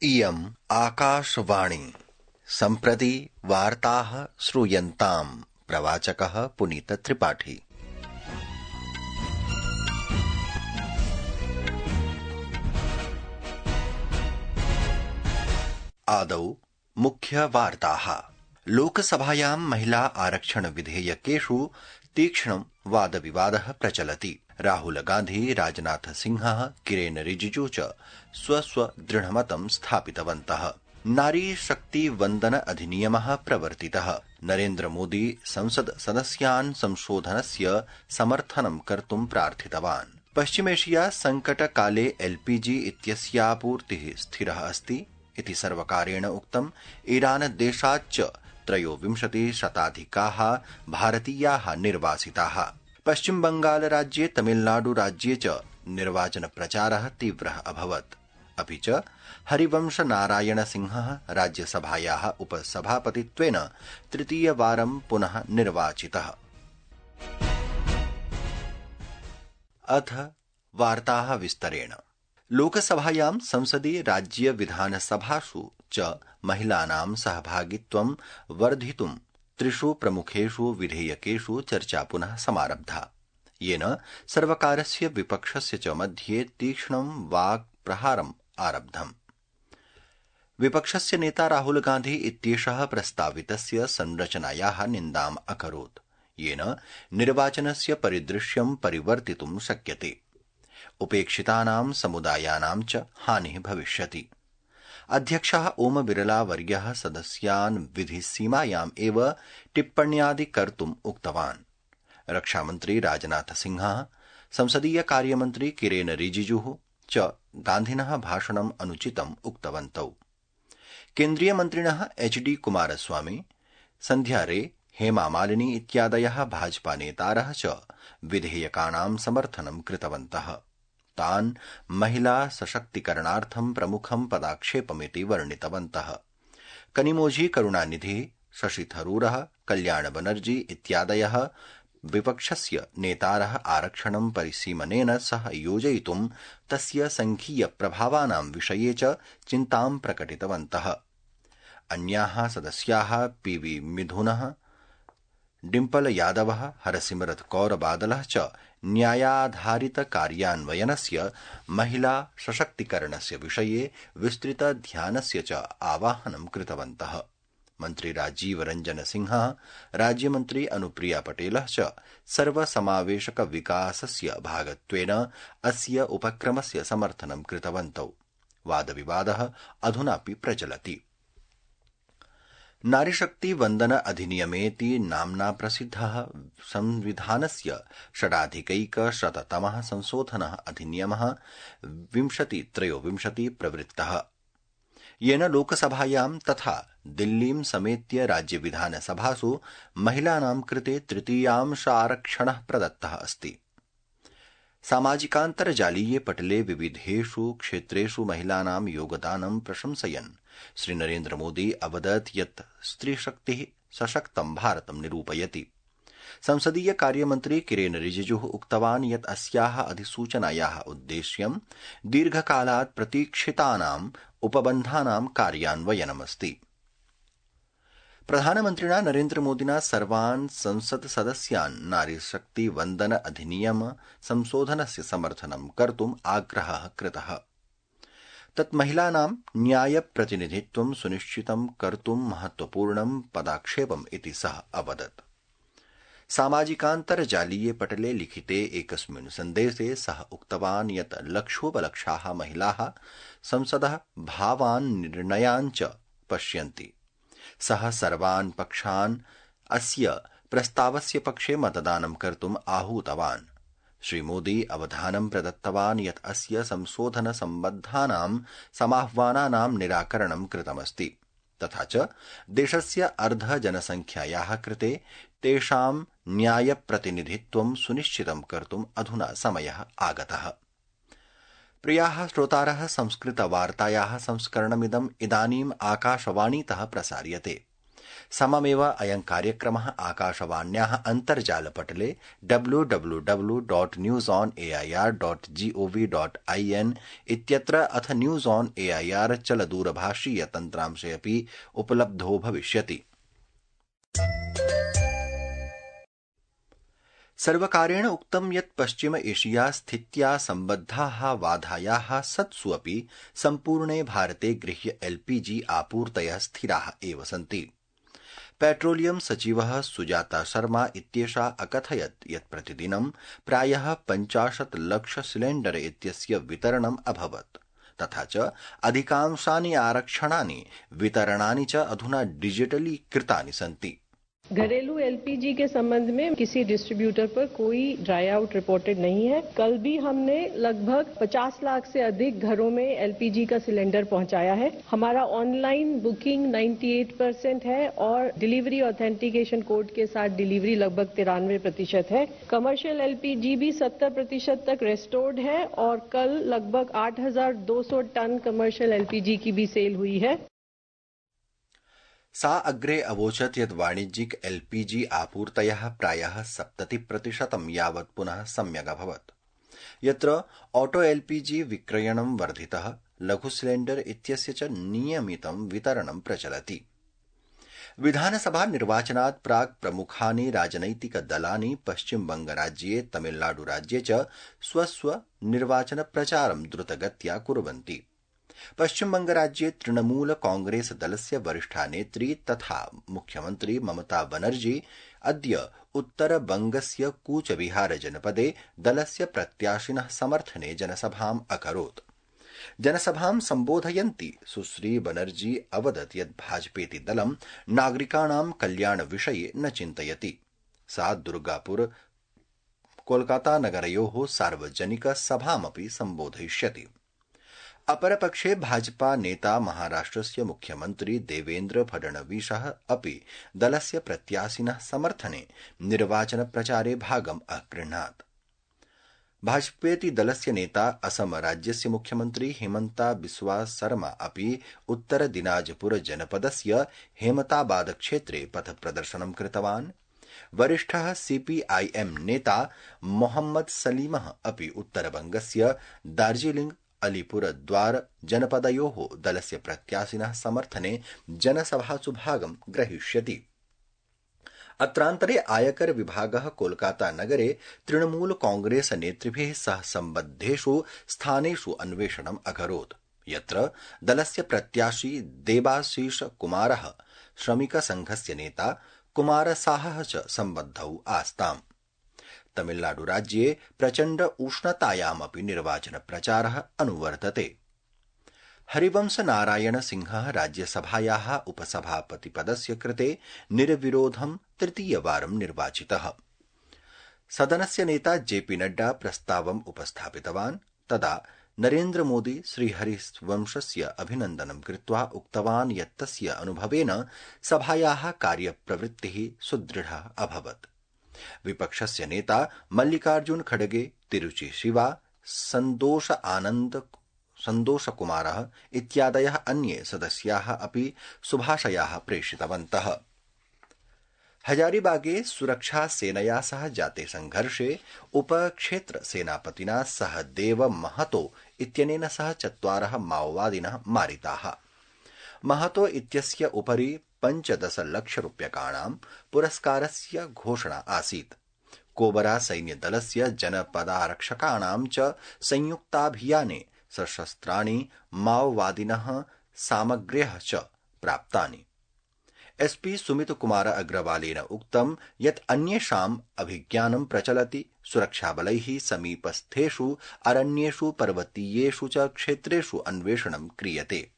इयम् आकाशवाणी सम्प्रति वार्ताः श्रूयन्ताम् प्रवाचकः पुनीतत्रिपाठी। आदौ मुख्यवार्ताः। लोकसभायां महिला आरक्षण विधेयकेषु तीक्ष्णं वादविवादः प्रचलति। राहुल गांधी, राजनाथ सिंहः, किरेन रिजिजू च स्वदृढमतं स्थापितवन्तः। नारी शक्ति वन्दन अधिनियमः प्रवर्तितः। नरेन्द्र मोदी संसद सदस्यान् संशोधनस्य समर्थनं कर्तुं प्रार्थितवान्। पश्चिमेशिया संकटकाले एलपीजी इत्यस्यापूर्तिः स्थिरः अस्ति इति सर्वकारेण उक्तम्। ईरान देशाच्च 23 शताधिकाः भारतीयाः निर्वासिताः। पश्चिम बंगाल राज्ये तमिलनाडु राज्ये च निर्वाचन प्रचारः तीव्रः अभवत्। अपि च हरिवंश नारायण सिंहः राज्यसभायाः उपसभापतित्वेन तृतीयवारं पुनः निर्वाचितः। अथ वार्ताः विस्तरेण। लोकसभायां संसदि राज्य विधानसभासु च महिलानां सहभागित्वं वर्धितुं त्रिषु प्रमुखेषु विधेयकेषु चर्चा पुनः समारब्धा, येन सर्वकारस्य विपक्षस्य च मध्ये तीक्ष्णं वाक्प्रहारम् आरब्धम्। विपक्षस्य नेता राहुल गांधी इत्येषः प्रस्तावितस्य संरचनायाः निन्दाम् अकरोत्, येन निर्वाचनस्य परिदृश्यं परिवर्तितुं शक्यते। उपेक्षितानां समुदायानां च हानिः भविष्यति। अध्यक्षः ओम बिरला वर्यः सदस्यान् विधिसीमायाम् एव टिप्पण्यादि कर्तुम् उक्तवान्। रक्षामन्त्री राजनाथ सिंहः, संसदीय कार्यमन्त्री किरेन रिजिजुः च गान्धिनः भाषणम् अनुचितम् उक्तवन्तौ। केन्द्रीयमन्त्रिणः एचडी कुमारस्वामी, सन्ध्यारे हेमा मालिनी इत्यादयः भाजपा नेतारः च विधेयकानां समर्थनं कृतवन्तः। तान् महिला सशक्तिकरणार्थं प्रमुखं पदाक्षेपमिति वर्णितवन्तः। कनिमोझी, करुणानिधि, शशि थरूरः, कल्याण बनर्जी इत्यादयः विपक्षस्य नेतारः आरक्षणं परिसीमनेन सह योजयितुं तस्य संघीय प्रभावानां विषये च चिन्तां प्रकटितवन्तः। अन्याः सदस्याः पीवी मिथुनः, डिम्पल यादवः, हरसिमरत कौर बादलः च न्यायाधारित कार्यान्वयनस्य, महिला सशक्तिकरणस्य विषये विस्तृत ध्यानस्य च आवाहनं कृतवन्तः। मन्त्री राजीव रंजन सिंहः, राज्यमन्त्री अनुप्रिया पटेलः च सर्वसमावेशक विकासस्य भागत्वेन अस्य उपक्रमस्य समर्थनं कृतवन्तौ। वादविवादः अधुनापि प्रचलति। नारीशक्ति वन्दन अधिनियमेति नाम्ना प्रसिद्धः संविधानस्य षडाधिकैकशततमः संशोधनः अधिनियमः 2023 प्रवृत्तः, येन लोकसभायां तथा दिल्लीं समेत्य राज्यविधानसभासु महिलानां कृते तृतीयांश आरक्षणः प्रदत्तः अस्ति। सामाजिकान्तर्जालीये पटले विविधेषु क्षेत्रेषु महिलानां योगदानं प्रशंसयन् श्रीनरेन्द्र मोदी अवदत् यत् स्त्रीशक्तिः सशक्तं भारतं निरूपयति। संसदीय कार्यमन्त्री किरेन रिजिजुः उक्तवान् यत् अस्याः अधिसूचनायाः उद्देश्यं दीर्घकालात् प्रतीक्षितानाम् उपबन्धानां कार्यान्वयनमस्ति। प्रधानमन्त्रिणा नरेन्द्र मोदिना सर्वान् संसत् सदस्यान् नारीशक्ति वन्दन अधिनियम संशोधनस्य समर्थनं कर्तुम् आग्रहः कृतः। तत् महिलानां न्यायप्रतिनिधित्वं सुनिश्चितं कर्तुं महत्वपूर्णं पदाक्षेपम् इति सः अवदत्। सामाजिकान्तर्जालीये पटले लिखिते एकस्मिन् सन्देशे सः उक्तवान् यत् लक्षोपलक्षाः महिलाः संसदः भावान् निर्णयान् च पश्यन्ति। सः सर्वान् पक्षान् अस्य प्रस्तावस्य पक्षे मतदानं कर्तुम् आहूतवान्। श्रीमोदी अवधानं प्रदत्तवान् यत् अस्य संशोधनसम्बद्धानां समाह्वानानां निराकरणं कृतमस्ति, तथा च देशस्य अर्धजनसंख्यायाः कृते तेषां न्यायप्रतिनिधित्वं सुनिश्चितं कर्तुम् अधुना समयः आगतः। प्रियाः श्रोतारः, संस्कृतवार्तायाः संस्करणमिदम् इदानीम् आकाशवाणीतः प्रसार्यते। सममेव अयं कार्यक्रमः आकाशवाण्याः अन्तर्जालपटले www.newsonair.gov.in इत्यत्र अथ न्यूज ऑन एआईआर चलदूरभाषीय तन्त्रांशे अपि उपलब्धो भविष्यति। सर्वकारेण उक्तं यत् पश्चिम एशिया स्थित्या सम्बद्धाः बाधायाः सत्सु अपि सम्पूर्णे भारते गृह्य एलपीजी आपूर्तयः स्थिराः एव सन्ति। पेट्रोलियम सचिवः सुजाता शर्मा इत्येषा अकथयत् यत् प्रतिदिनं प्रायः 50 लाख सिलेण्डर इत्यस्य वितरणम् अभवत्, तथा च अधिकांशानि आरक्षणानि वितरणानि च अधुना डिजिटली कृतानि सन्ति। घरेलू एलपीजी के संबंध में किसी डिस्ट्रीब्यूटर पर कोई ड्राई आउट रिपोर्टेड नहीं है। कल भी हमने लगभग 50 लाख से अधिक घरों में एलपीजी का सिलेंडर पहुंचाया है। हमारा ऑनलाइन बुकिंग 98% है और डिलीवरी ऑथेंटिकेशन कोड के साथ डिलीवरी लगभग 93% है। कमर्शियल एलपीजी भी 70% तक रेस्टोर्ड है और कल लगभग 8,200 टन कमर्शियल एलपीजी की भी सेल हुई है। सा अग्रे अवोचत् यत् वाणिज्यिक एलपीजी आपूर्तयः प्रायः 70% यावत् पुनः सम्यगभवत्, यत्र ऑटो एलपीजी विक्रयणं वर्धितः, लघु सिलेण्डर इत्यस्य च नियमितं वितरणं प्रचलति। विधानसभा निर्वाचनात् प्राक् प्रमुखानि राजनैतिकदलानि पश्चिमबंगराज्ये तमिलनाडुराज्ये च स्वस्व निर्वाचन प्रचारं द्रुतगत्या कुर्वन्ति। पश्चिमबंगराज्ये तृणमूल कांग्रेस दलस्य वरिष्ठा नेत्री तथा मुख्यमन्त्री ममता बनर्जी अद्य उत्तरबंगस्य कूचबिहार जनपदे दलस्य प्रत्याशिनः समर्थने जनसभाम् अकरोत्। जनसभां सम्बोधयन्ती सुश्री बनर्जी अवदत् यत् भाजपेति दलं नागरिकाणां कल्याणविषये न चिन्तयति। सा दुर्गापुर कोलकाता नगरयोः सार्वजनिक सभामपि सम्बोधयिष्यति। अपरपक्षे भाजपा नेता महाराष्ट्रस्य मुख्यमन्त्री देवेन्द्र फडणवीसः अपि दलस्य प्रत्याशिनः समर्थने निर्वाचन प्रचारे भागम् अगृह्णात्। भाजपेति दलस्य नेता असम राज्यस्य मुख्यमन्त्री हिमन्ता बिस्वा शर्मा अपि उत्तर दिनाजपुर जनपदस्य हेमताबाद क्षेत्रे पथप्रदर्शनं कृतवान्। वरिष्ठः सीपीआईएम नेता मोहम्मद सलीमः अपि उत्तरबंगस्य दार्जिलिंग अलीपुरद्वार जनपदयोः दलस्य प्रत्याशिनः समर्थने जनसभासु भागं ग्रहीष्यति। अत्रान्तरे आयकर विभागः कोलकाता नगरे तृणमूल कांग्रेस नेतृभिः सह सम्बद्धेषु स्थानेषु अन्वेषणम् अकरोत्, यत्र दलस्य प्रत्याशी देबाशीष कुमारः, श्रमिक संघस्य नेता कुमारसाहः च सम्बद्धौ आस्ताम्। तमिलनाडुराज्ये प्रचण्ड उष्णतायामपि निर्वाचन प्रचारः अनुवर्तते। हरिवंश नारायण सिंहः राज्यसभायाः उपसभापतिपदस्य कृते निर्विरोधं तृतीयवारं निर्वाचितः। सदनस्य नेता जेपी नड्डा प्रस्तावम् उपस्थापितवान्। तदा नरेन्द्र मोदी श्रीहरिवंशस्य अभिनन्दनं कृत्वा उक्तवान् यत् तस्य अनुभवेन सभायाः कार्यप्रवृत्तिः सुदृढा अभवत्। विपक्षस्य नेता मल्लिकार्जुन खड़गे, तिरुचि शिवा, सन्तोष कुमारः इत्यादयः अन्ये सदस्याः अपि शुभाशयाः प्रेषितवन्तः। हजारीबागे सुरक्षा सेनया सह जाते संघर्षे उपक्षेत्र सेनापतिना सहदेव महतो इत्यनेन सह 4 माओवादिनः मारिताः। महतो इत्यस्य उपरि 15 लक्षरूप्यकाणां पुरस्कारस्य घोषणा आसीत्। कोबरा सैन्यदलस्य जनपदारक्षकाणां च संयुक्ताभियाने सशस्त्राणि माओवादिनः सामग्र्यः च प्राप्तानि। एसपी सुमित कुमार अग्रवालेन उक्तं यत् अन्येषाम् अभिज्ञानं प्रचलति। सुरक्षाबलैः समीपस्थेषु अरण्येषु पर्वतीयेषु च क्षेत्रेषु अन्वेषणं क्रियते।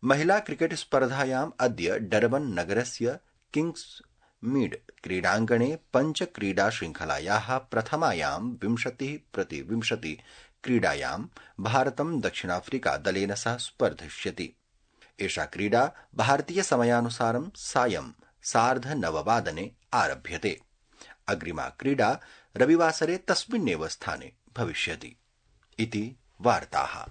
महिला क्रिकेट स्पर्धायाम् अद्य डरबन नगरस्य किंग्स मीड क्रीडाङ्गणे पञ्चक्रीडा श्रृंखलायाः प्रथमायां 20-20 क्रीडायां भारतं दक्षिणाफ्रिका दलेन सह स्पर्धिष्यति। एषा क्रीडा भारतीय समयानुसारं सायं 9:30 आरभ्यते। अग्रिमा क्रीडा रविवासरे तस्मिन्नेव स्थाने भविष्यति। इति वार्ताः।